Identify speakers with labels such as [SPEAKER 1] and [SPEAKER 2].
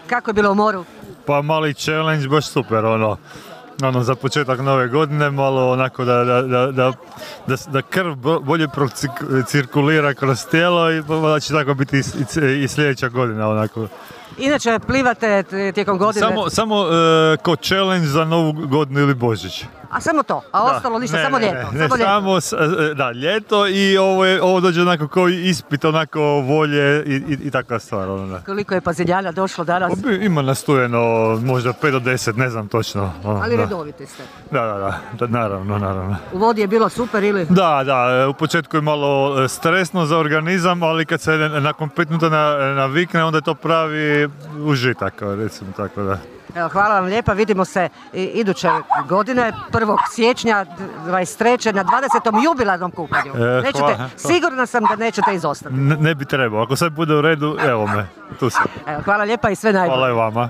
[SPEAKER 1] Kako je bilo u moru?
[SPEAKER 2] Pa mali challenge, baš super, za početak nove godine, malo onako da krv bolje cirkulira kroz tijelo i da će tako biti i sljedeća godina, onako.
[SPEAKER 1] Inače, plivate tijekom godine?
[SPEAKER 2] Samo kao challenge za novu godinu ili Božić.
[SPEAKER 1] A samo to? A ostalo ništa, samo ljeto?
[SPEAKER 2] Da, ljeto i ovo dođe onako kao ispit, onako volje i takva stvar.
[SPEAKER 1] Koliko je paziljana došlo danas?
[SPEAKER 2] Ima nastojeno možda 5 do 10, ne znam točno.
[SPEAKER 1] Ali redoviti ste?
[SPEAKER 2] Da, naravno.
[SPEAKER 1] U vodi je bilo super ili?
[SPEAKER 2] Da, u početku je malo stresno za organizam, ali kad se nakon 5 minuta navikne, onda je to pravi užitak, recimo tako da.
[SPEAKER 1] Evo, hvala vam lijepa, vidimo se iduće godine, 1. siječnja 23. na 20. jubilarnom kupanju. Sigurna sam da nećete izostati.
[SPEAKER 2] Ne bi trebao, ako sve bude u redu, evo me, tu sam.
[SPEAKER 1] Evo, hvala lijepa i sve najbolje.
[SPEAKER 2] Hvala i vama.